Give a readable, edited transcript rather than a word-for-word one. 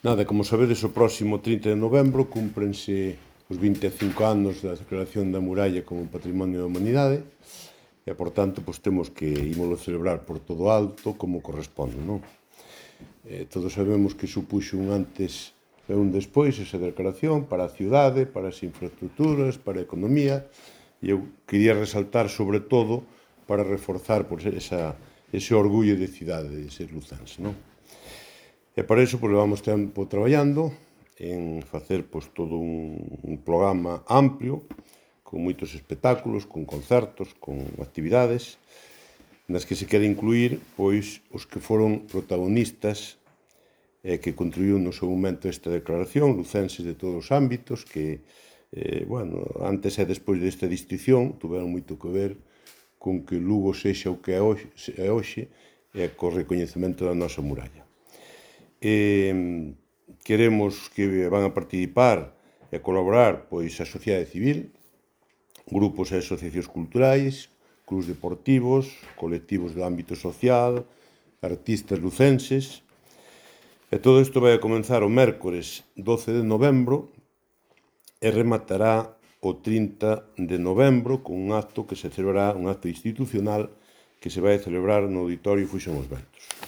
Nada, como sabedes, o próximo 30 de novembro cúmprense os 25 anos da declaración da muralla como Patrimonio da Humanidade e, por tanto, temos que ímolo celebrar por todo alto como corresponde, non? Todos sabemos que supuxo un antes e un despois esa declaración para a cidade, para as infraestructuras, para a economía, e eu quería resaltar, sobre todo, para reforzar ese orgullo de cidade de ser lucense, non? E para iso levamos tempo traballando en facer todo un programa amplio, con moitos espectáculos, con concertos, con actividades, nas que se quere incluir os que foron protagonistas e que contribuíron no seu momento a esta declaración, lucenses de todos os ámbitos, que, antes e despois desta distinción, tuveron moito que ver con que Lugo sexa o que é hoxe e co recoñecemento da nosa muralla. Queremos que van a participar e colaborar a sociedade civil, grupos e asociacións culturais, clubs deportivos, colectivos do ámbito social, artistas lucenses. E todo isto vai a comenzar o mércores 12 de novembro e rematará o 30 de novembro con un acto que se celebrará, un acto institucional que se vai a celebrar no Auditorio Fuxen os Ventos.